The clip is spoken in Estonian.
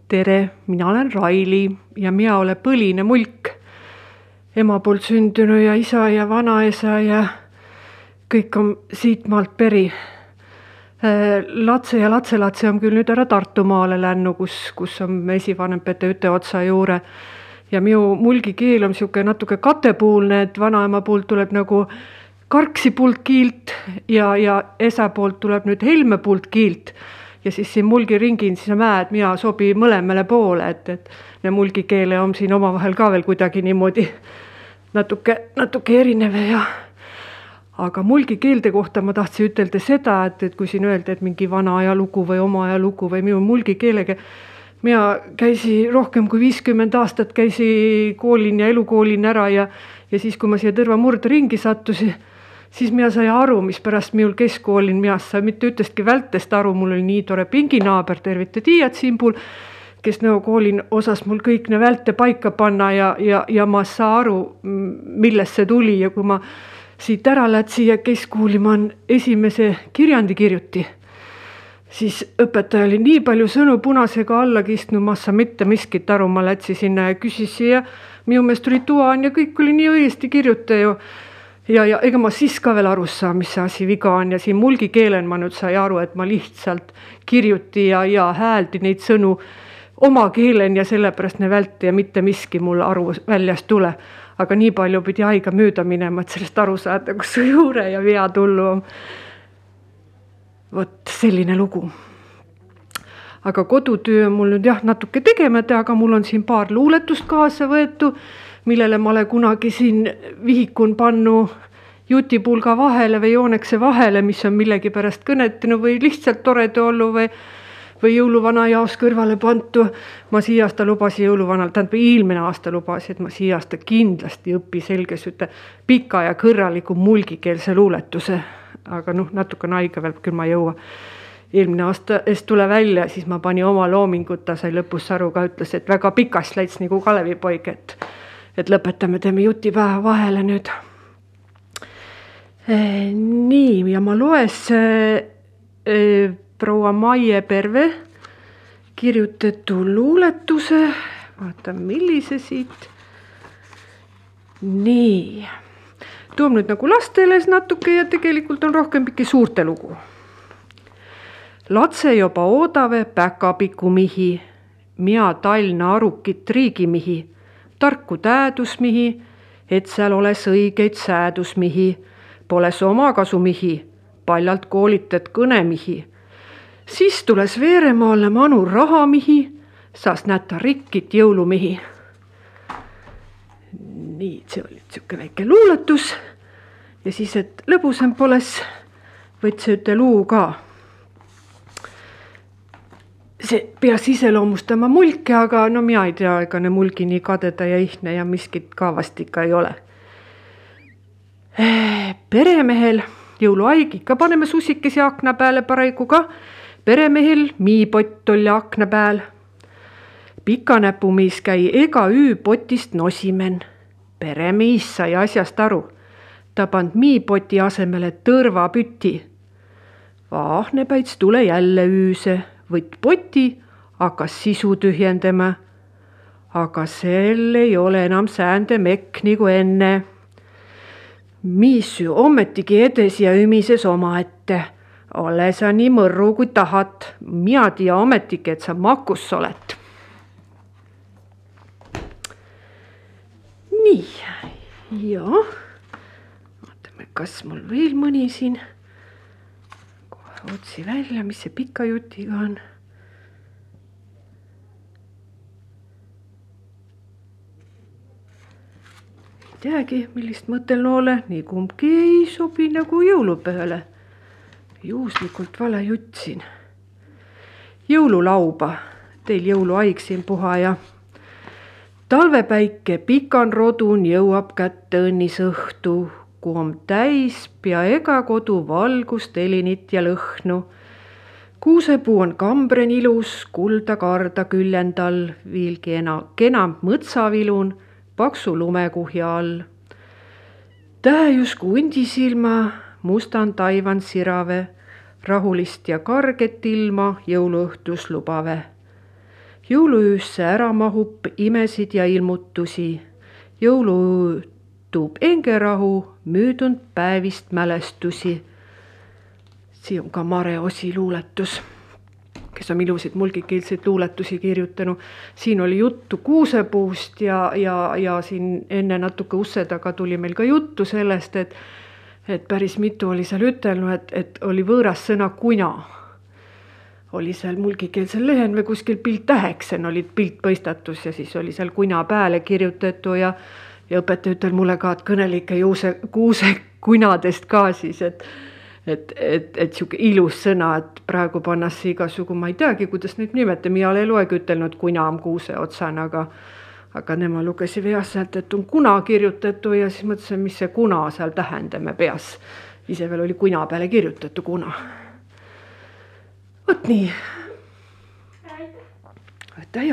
Tere, mina olen Raili ja mina olen põline mulk. Ema poolt sündynyt ja isa ja vanaisa ja kõik on siit maalt peri. Latse ja latselatse on küll nüüd ära Tartumaale lännu, kus on esivanempäte üteotsa juure. Ja minu mulgi keel on siuke natuke katepuulne, et vanaema poolt tuleb nagu Karksi poolt kiilt ja esa poolt tuleb nüüd Helme poolt kiilt. Ja siis siin mulgi ringin siis mäed, mina sobi mõlemale poole, et ne mulgi keele on siin omavahel ka veel kuidagi niimoodi natuke erinev ja. Aga mulgi keelde kohta ma tahtsin ütelda seda, et kui siin öelda, et mingi vana ajalugu või oma ajalugu või minu mulgi keelega, mina käisi rohkem kui 50 aastat käisi koolin ja elukoolin ära ja siis kui ma siia Tõrva murdringi sattusin, siis mina sai aru, mis pärast minul keskkoolin miast sai mitte ütestki vältest aru, mul oli nii tore pinginaaber, tervite tiiad Simbul, kes koolin osas mul kõik ne välte paika panna ja ma saa aru, millest see tuli ja kui ma siit ära lätsi ja keskkooli ma esimese kirjandi kirjuti, siis õpetaja oli nii palju sõnu punasega alla kistnud, ma saa mitte miskit aru, ma lätsi sinna ja küsisin ja minu meelest oli tuan ja kõik oli nii õiesti kirjuta ju. Ja ega ma siis ka veel aru saa, mis see asi viga on ja siin mulgi keelen ma nüüd sai aru, et ma lihtsalt kirjuti ja hääldi neid sõnu oma keelen ja sellepärast ne välti ja mitte miski mul aru väljast tule. Aga nii palju pidi aega mööda minema, et sellest aru saada, kus su juure ja vea tullu on. Vot selline lugu. Aga kodutöö on mul nüüd natuke tegemata, aga mul on siin paar luuletust kaasa võetu, millele ma olen kunagi siin vihikun pannu jutipulga vahele või joonekse vahele, mis on millegi pärast kõnetinu või lihtsalt torede ollu või jõuluvana jaos kõrvale pantu. Ma siia-aasta lubasin jõuluvanal, eelmine aasta lubasin, et ma siia-aasta kindlasti õpi selges üte pika ja kõrraliku mulgikeelse luuletuse. Aga natuke aega veel, küll ma jõua. Eelmine aasta eest tule välja, siis ma pani oma loominguta, sai lõpus aru ka, ütles, et väga pikas läits nagu Kalevipoig, et lõpetame, teeme jutipäeva vahele nüüd. Nii, ja ma loes proua Maie Perve kirjutatu luuletuse. Vaatan, millise siit. Nii. Tuom nüüd nagu lasteles natuke ja tegelikult on rohkem pikki suurte lugu. Latse joba oodave päkapiku mihi, mia talna arukit riigimihi, tarku täädusmihi, et seal oles õigeid säädusmihi, poles omakasumihi, paljalt koolitet kõnemihi. Siis tules Veeremaalle manu rahamihi, saas näta rikkit jõulumihi. Nii, see oli siuke väike luuletus ja siis, et lõbusem poles, võtsi üte luu ka. See peas iseloomustama mulke, aga mina ei tea, ega ne mulgi nii kadeda ja ihne ja miskit ka vast ikka ei ole. Peremehel, jõuluaig ikka paneme susikesi akna peale paraigu ka. Peremehel miipott oli akna peal. Pikanäpumiis käi ega potist nosimen. Peremiis sai asjast aru. Ta pand miipoti asemele tõrvapüti. Vaahnepäits tule jälle üüse. Võtt poti, hakkas sisu tühjendama. Aga sel ei ole enam säände mekk nagu enne. Miis ommetigi edes ja ümises oma ette. Ole sa nii mõrru kui tahad. Mina tia ommetigi, et sa makus olet. Nii, ja. Vaatame, kas mul veel mõni siin. Otsi välja, mis see pika jutiga on. Ei teagi, millist mõteln ole, nii kumbki ei sobi nagu jõulupööle. Juhuslikult vale jutt siin. Jõululauba, teil jõuluaig siin puha ja talvepäike pikan rodun jõuab kätte õnnis õhtu. Kui on täis, pea ega kodu valgust, elinit ja lõhnu. Kuusepuu on kambren ilus, kulda karda küljendal, viilgi kenam mõtsavilun, paksu lumekuhja all. Tähjus kundisilma, mustan taivan sirave, rahulist ja karget ilma jõuluõhtus lubave. Jõuluöösse ära mahub imesid ja ilmutusi. Jõuluöö tuub engerahu, müüdunud päevist mälestusi. Siin on ka Mare Osi luuletus, kes on ilusid mulgikeelseid luuletusi kirjutanud. Siin oli juttu kuusepuust ja siin enne natuke usse taga tuli meil ka juttu sellest, et päris mitu oli seal ütelnud, et oli võõras sõna kuna. Oli seal mulgikeelsel lehen või kuskil pilttäheksen olid piltpõistatus ja siis oli seal kuna pääle kirjutatu ja õpetaja ütel mulle ka, et kõnelike kuuse kunadest ka siis, et siuke ilus sõna, et praegu pannassi igasugu, ma ei teagi, kuidas neid nimeta, mina ei loegi ütelnud kuna on kuuse otsana, aga nema lugesi veas sealt, et on kuna kirjutatu ja siis mõtlesin, mis see kuna seal tähendame peas. Ise veel oli kuna peale kirjutatu kuna. Võt nii. Aitäh.